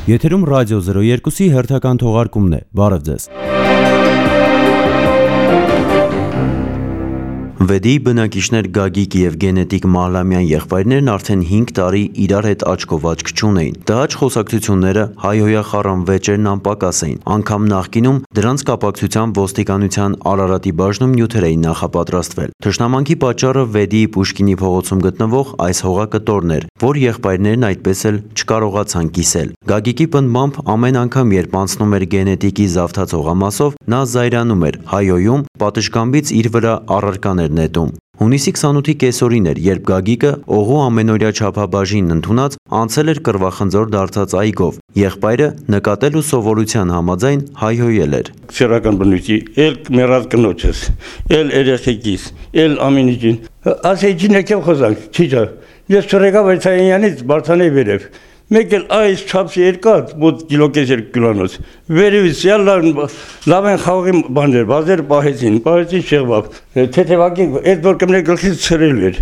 Եթերում ռադիո 02-ի հերթական թողարկումն է։ Բարև ձեզ։ Վեդի բնակիչներ Գագիկ և Գենետիկ Մահլամյան եղբայրներն արդեն 5 տարի իրար հետ աչքով աչք չունեին։ Տհաճ խոսակցությունները, հայհոյախառն վեճերն անպակաս էին։ Անգամ նախկինում դրանց կապակցությամբ ոստիկանության Արարատի բաժնում նյութեր էին նախապատրաստվել։ Թշնամանքի պատճառը Վեդիի Պուշկինի փողոցում գտնվող այս հողակտորն էր, որ եղբայրներն այդպես էլ չկարողացան կիսել։ Գագիկի պնդմամբ ամեն անգամ, երբ անցնում էր Գենետիկի զավթած հողամասով, նա զայրանում էր, հայհոյում, պատշգամբից իր վրա առարկաներ նետում։ Հունիսի 28-ի կեսօրին էր, երբ Գագիկը օղու ամենօրյա չափաբաժինն ընդունած անցել էր կռվախնձոր դարձած այգով։ Եղբայրը նկատել ու սովորության համաձայն հայհոյել էր. Սեռական բնույթի, էլ մեռած կնոջս, էլ երեխեքիս, էլ ամեն ինչին։ Ասեցին եկավ խոսանք, չիջա։ Ես չրեկա Վայցայանից Բարթանեի վերև։ Մեկ էլ այս չափսի երկաթ, մոտ կիլոկես 2 կիլոնոց։ Վերևից լավ են խաղողի բաներ, բազեր պահեցին շեղվավ։ Թեթևակի այդ որ կմներ գլխից ցրել էր։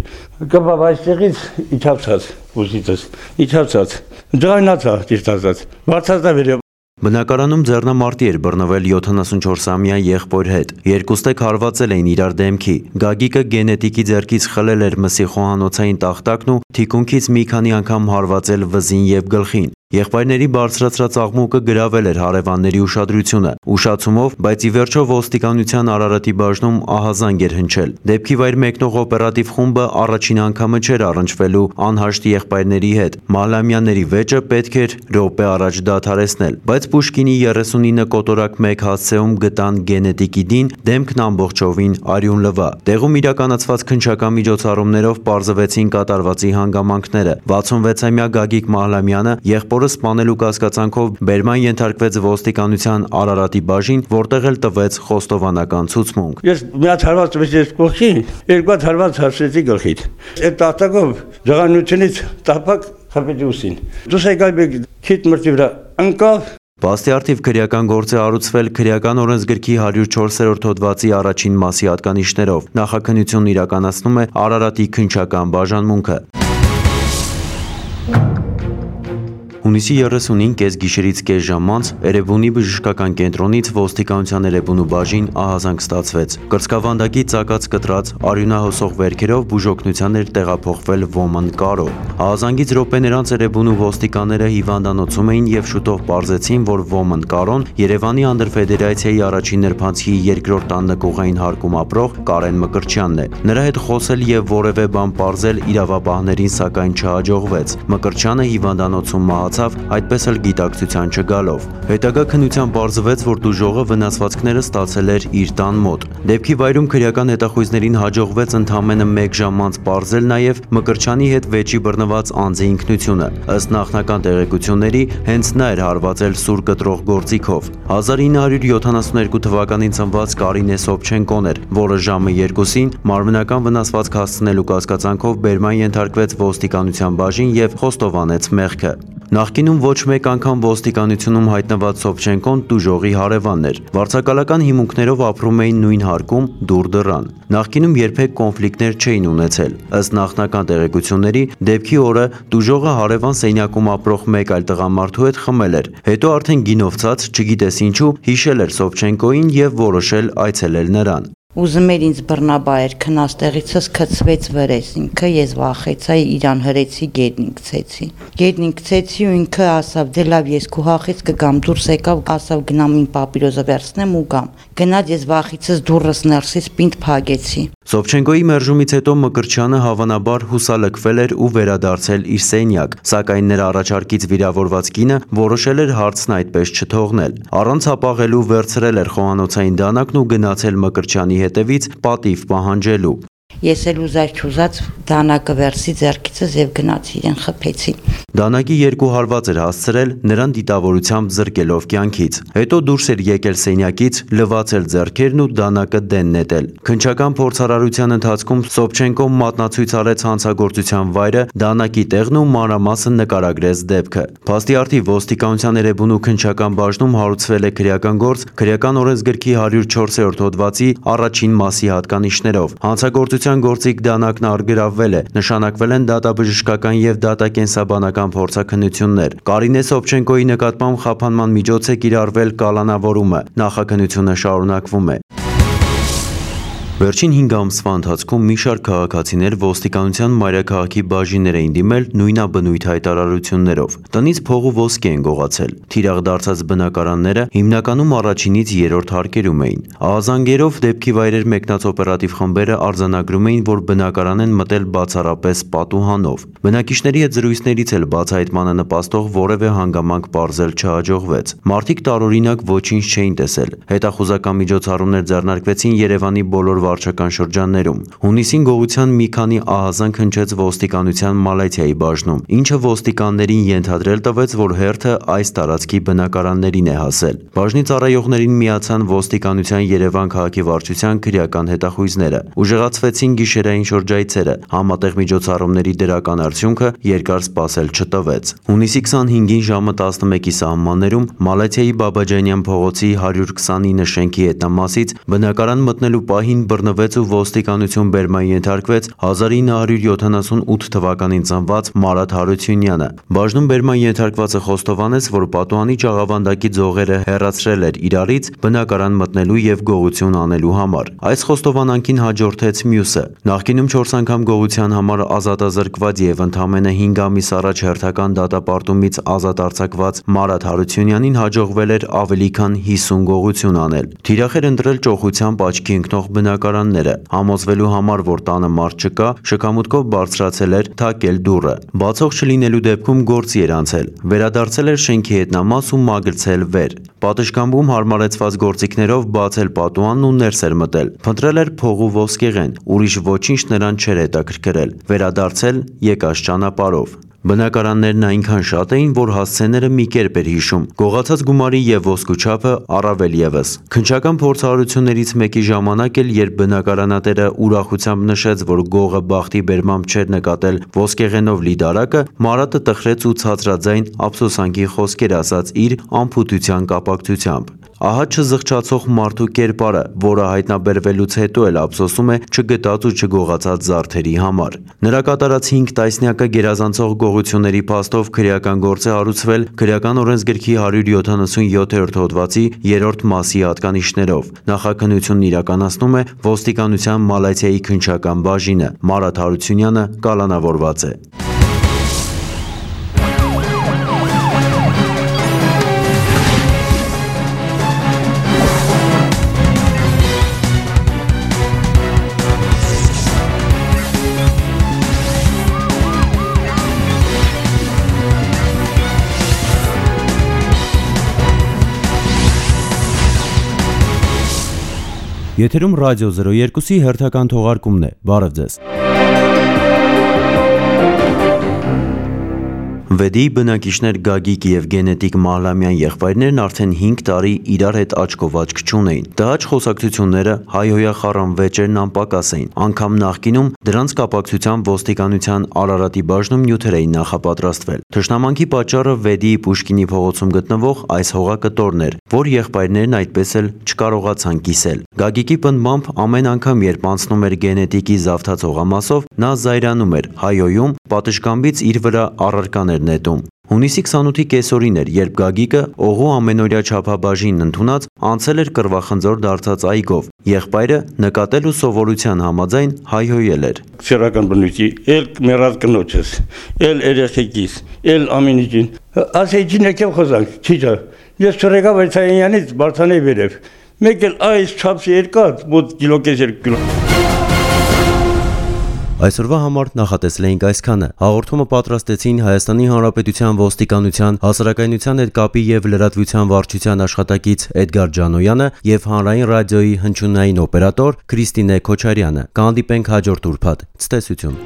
Կապավ այստեղից իջացած, ուսիցս, իջացած։ Ջայնացա ճիշտ ասած։ Բարձրացա վերև։ Բնակարանում ձեռնամարտի էր բռնվել 74-ամյա եղբոր հետ։ Երկուստեք հարվածել էին իրար դեմքի։ Գագիկը Գենետիկի ձեռքից խլել էր մսի խոհանոցային տախտակն ու թիկունքից մի քանի անգամ հարվածել վզին և գլխին։ Եղբայրների բարձրացրած աղմուկը գրավել էր հարևանների ուշադրությունը, ուշացումով, բայց ի վերջո ոստիկանության Արարատի բաժնում ահազանգ էր հնչել։ Դեպքի վայր մեկնող օպերատիվ խումբը առաջին անգամը չէր առնչվելու անհաշտ եղբայրների հետ։ Մահլամյանների վեճը պետք էր րոպե առաջ դադարեցնել, բայց Պուշկինի 39 կոտորակ 1 հասցեում գտան Գենետիկի դին, դեմքն ամբողջովին արյուն լվա։ Տեղում իրականացված քննչական միջոցառումներով պարզվեցին կատարվածի հանգամանքները։ 66-ամյա Գագիկ Մահլամյանը եղբորը սպանելու կասկածանքով բերման ենթարկվեց ոստիկանության Արարատի բաժին, որտեղ էլ տվեց խոստովանական ցուցմունք։ Ես մի հատ հարված տվեցի կողքին, երկու հատ հարված հասցրեցի գլխից։ Այդ տախտակով ջղանությունից տապակ խփեցի ուսին։ Դուս եկալ մեկ քիթ մրտի վրա ընկավ։ Բաստի արդիվ քրեական գործ է առուցվել քրեական օրենսգրքի 104-րդ հոդվածի առաջին մասի հատկանիշներով։ Նախաքննությունն իրականացնում է Արարատի քննչական բաժանմունքը։ Հունիսի 30-ին կեսգիշերից կես ժամ անց Էրեբունի բժշկական կենտրոնից ոստիկանության Էրեբունու բաժին ահազանգ ստացվեց։ Կրծքավանդակի ծակած կտրած արյունահոսող վերքերով բուժօգնության էր տեղափոխվել Ոմն Կարո։ Ահազանգից րոպեներ անց Էրեբունու ոստիկանները հիվանդանոցում էին և շուտով պարզեցին, որ Ոմն Կարոն Երևանի անդրֆեդերացիայի առաջին նրբանցքի երկրորդ աննկուղային հարկում ապրող Կարեն Մկրտչյանն է։ Նրա հետ խոսել և որևէ բան պարզել իրավապահներին սակայն չհաջողվեց։ Մկրտչյանը հիվանդանոցում մահացավ, այդպես էլ գիտակցության չգալով։ Հետագա քննության պարզվեց, որ տուժողը վնասվածքները ստացել էր իր տան մոտ։ Դեպքի վայրում քրեական հետախույզներին հաջողվեց ընդամենը 1 ժամ անց պարզել նաև Մկրտչյանի հետ վեճի բռնված անձի ինքնությունը։ Ըստ նախնական տեղեկությունների, հենց նա էր հարվածել սուր կտրող գործիքով։ 1972 թվականին ծնված Կարինե Սոփչենկոն էր, որը ժամը 2-ին մարմնական վնասվածք հասցնելու կասկածանքով բերման ենթարկվեց ոստիկանության բաժին և խոստովանեց մեղքը։ Նախկինում ոչ մեկ անգամ ոստիկանությունում հայտնված Սոփչենկոն տուժողի հարևանն էր։ Վարձակալական հիմունքներով ապրում էին նույն հարկում, դուր դռան։ Նախկինում երբեք կոնֆլիկտներ չէին ունեցել։ Ըստ նախնական տեղեկությունների, դեպքի օրը տուժողը հարևան սենյակում ապրող մեկ այլ տղամարդու հետ խմել էր։ Հետո արդեն գինովցած, չգիտես ինչու, հիշել էր Սոփչենկոին և որոշել այցելել նրան։ Ուզում էր ինձ բռնաբայր, քնած տեղիցս գցվեց վրես, ինքը ես վախեցա, իրան հրեցի, գետնին գցեցի ու ինքը ասավ, դե լավ ես քո հախից կգամ, դուրս եկավ, ասավ գնամ ին պապիրոզը վերցնեմ ու գամ։ Գնաց ես վախիցս դուրս ներսից պինդ փագեցի։ Սոփչենկոյի մերժումից հետո Մկրտչյանը հավանաբար հուսալքվել էր ու վերադարձել իր սենյակ, սակայն նրա առաջարկից վիրավորված կինը որոշել էր հարցն այդպես չթողնել։ Առանց հապաղելու վերցրել էր խոհանոցային դանակն ու գնացել Մկրտչյանի հետևից պատիվ պահանջելու։ Ես էլ ուզած դանակը վերցի ձեռքիցս եւ գնացի իրեն խփեցի։ Դանակի 2 հարված էր հասցրել, նրան դիտավորությամբ զրկելով կյանքից։ Հետո դուրս էր եկել սենյակից, լվացել ձեռքերն ու դանակը դեն նետել։ Քննչական փորձարարության ընթացքում Սոփչենկոն մատնացույց արեց հանցագործության վայրը, դանակի տեղն ու մանրամասն նկարագրեց դեպքը։ Փաստի արդիվ ոստիկանության Էրեբունու քննչական բաժնում հարուցվել է քրեական գործ քրեական օրենսգրքի 104-րդ հոդվածի առաջին մասի հատկանիշներով։ Հանցագործության Կուսակցության գործիք դանակն առգրավվել է, նշանակվել են դատաբժշկական եւ դատակենսաբանական փորձաքննություններ։ Կարինե Սոփչենկոյի նկատմամբ խափանման միջոց է կիրառվել կալանավորումը, նախաքննությունը շարունակվում է։ Վերջին 5 ամսվա ընթացքում մի շարք քաղաքացիներ ոստիկանության մայրաքաղաքի բաժիններ էին դիմել նույնաբնույթ հայտարարություններով։ Տնից փող ու ոսկի են գողացել։ Թիրախ դարձած բնակարանները հիմնականում առաջինից երրորդ հարկերում էին։ Ահազանգերով դեպքի վայրեր մեկնած օպերատիվ խմբերը արձանագրում էին, որ բնակարան են մտել բացառապես պատուհանով։ Բնակիչների հետ զրույցներից էլ բացահայտմանը նպաստող որևէ հանգամանք պարզել չհաջողվեց։ Մարդիկ տարօրինակ ոչինչ չէին տեսել։ Հետախուզական միջոցառումներ ձեռնարկվեցին Երևանի բոլոր վարչական շրջաններում։ Հունիսին գողության մի քանի ահազանգ հնչեց ոստիկանության Մալաթիայի բաժնում, ինչը ոստիկաններին ենթադրել տվեց, որ հերթը այս տարածքի բնակարաններին է հասել։ Բաժնի ծառայողներին միացան ոստիկանության Երևան քաղաքի վարչության քրեական հետախույզները։ Ուժեղացվեցին գիշերային շրջայցերը, համատեղ միջոցառումների դրական արդյունքը երկար սպասել չտվեց։ Հունիսի 25-ին ժամը 11-ի սահմաններում Մալաթիայի Բաբաջանյան փողոցի 129 շենքի հետնամասից բնակարան մտնելու պահին բռնվեց ու ոստիկանություն բերման ենթարկվեց 1978 թվականին ծնված Մարաթ Հարությունյանը։ Բաժնում բերման ենթարկվածը խոստովանեց, որ պատուհանի ճաղավանդակի ձողերը հեռացրել էր իրարից բնակարան մտնելու եւ գողություն անելու համար։ Այս խոստովանանքին հաջորդեց մյուսը։ Նախկինում 4 անգամ գողության համար ազատազրկված եւ ընդամենը 5 ամիս առաջ հերթական դատապարտումից ազատ արձակված Մարաթ Հարությունյանին հաջողվել էր ավելի քան 50 գողություն անել։ Թիրախ էր ընտրել ճոխությամբ աչքի ընկնող բնակարանները, համոզվելու համար, որ տանը մարդ չկա, շքամուտքով բարձրացել էր թակել դուռը։ Բացող չլինելու դեպքում գործի էր անցել, վերադարձել էր շենքի հետնամաս ու մագլցել վեր։ Պատշգամբում հարմարեցված գործիքներով բացել պատուհանն ու ներս էր մտել։ Փնտրել էր փող ու ոսկեղեն, ուրիշ ոչինչ նրան չէր հետաքրքրել։ Վերադարձել եկած ճանապարհով։ Բնակարաններն այնքան շատ էին, որ հասցեները մի կերպ էր հիշում։ Գողացած գումարի եւ ոսկու չափը առավել եւս։ Քննչական փորձառություններից մեկի ժամանակ էլ, երբ բնակարանատերը ուրախությամբ նշեց, որ գողը բախտի բերմամբ չէր նկատել ոսկեղենով լի դարակը, Մարաթը տխրեց ու ցածրաձայն ափսոսանքի խոսքեր ասաց իր անփութության կապակցությամբ։ Ահա չզղջացող մարդու կերպարը, որը հայտնաբերվելուց հետո էլ ափսոսում է չգտած ու չգողացած զարդերի համար։ Նրա կատարած 5 տասնյակը գերազանցող գողությունների փաստով քրեական գործ է հարուցվել քրեական օրենսգրքի 177-րդ հոդվածի 3-րդ մասի հատկանիշներով։ Նախաքննությունն իրականացնում է ոստիկանության Մալաթիայի քննչական բաժինը։ Մարաթ Հարությունյանը կալանավորված է։ Եթերում ռադիո 02-ի հերթական թողարկումն է։ Բարև ձեզ։ Վեդի բնակիչներ Գագիկ եւ Գենետիկ Մահլամյան եղբայրներն արդեն 5 տարի իրար հետ աչքով աչք չունեին։ Տհաճ խոսակցությունները հայհոյախառն վեճերն անպակաս էին։ Անգամ նախկինում դրանց կապակցությամբ ոստիկանության Արարատի բաժնում նյութեր էին նախապատրաստվել։ Թշնամանքի պատճառը Վեդիի Պուշկինի փողոցում գտնվող այս հողակտորն էր, որ եղբայրներն այդպես էլ չկարողացան կիսել։ Գագիկի պնդմամբ ամեն անգամ, երբ անցնում էր Գենետիկի զավթած հողամասով, նա զայրանում էր, հայհոյում, պատշգամբից իր վրա առարկաներ նետում։ Հունիսի 28-ի կեսօրին էր, երբ Գագիկը օղու ամենօրյա չափաբաժին ընդունած անցել էր կռվախնձոր դարձած այգով։ Եղբայրը նկատել ու սովորության համաձայն հայհոյել էր։ Սերական բնույթի, էլ մեռած կնոջս, էլ երեխեքիս, էլ ամեն ինչին։ Ասեցին եկել խոսանք, չիջա։ Ես չրեկա Վայցայանից Բարթանեի վերև։ Մեկ էլ այս չափսի երկած, մոտ կիլոկես 2 կիլո։ Այսօրվա համար նախատեսել էինք այսքանը։ Հաղորդումը պատրաստեցին Հայաստանի Հանրապետության ոստիկանության հասարակայնության հետ կապի եւ լրատվության վարչության աշխատակից Էդգար Ջանոյանը եւ Հանրային ռադիոյի հնչյունային օպերատոր Քրիստինե Քոչարյանը։ Կհանդիպենք հաջորդ ուրբաթ։ Ցտեսություն։